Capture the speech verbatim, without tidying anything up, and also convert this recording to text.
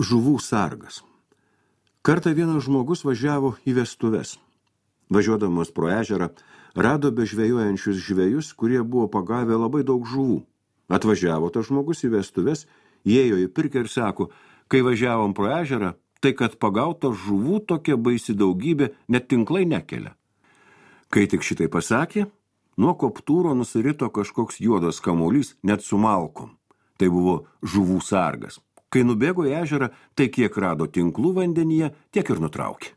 Žuvų sargas. Kartą vienas žmogus važiavo į vestuves. Važiuodamas pro ežerą, rado bežvejojančius žvejus, kurie buvo pagavę labai daug žuvų. Atvažiavo tas žmogus į vestuves, įėjo į pirkią ir sako, kai važiavom pro ežerą, tai kad pagauta žuvų tokia baisi daugybė, net tinklai nekelia. Kai tik šitai pasakė, nuo koptūro nusirito kažkoks juodas kamuolys, net su malkom. Tai buvo žuvų sargas. Kai nubėgo į ežerą, tai kiek rado tinklų vandenyje, tiek ir nutraukė.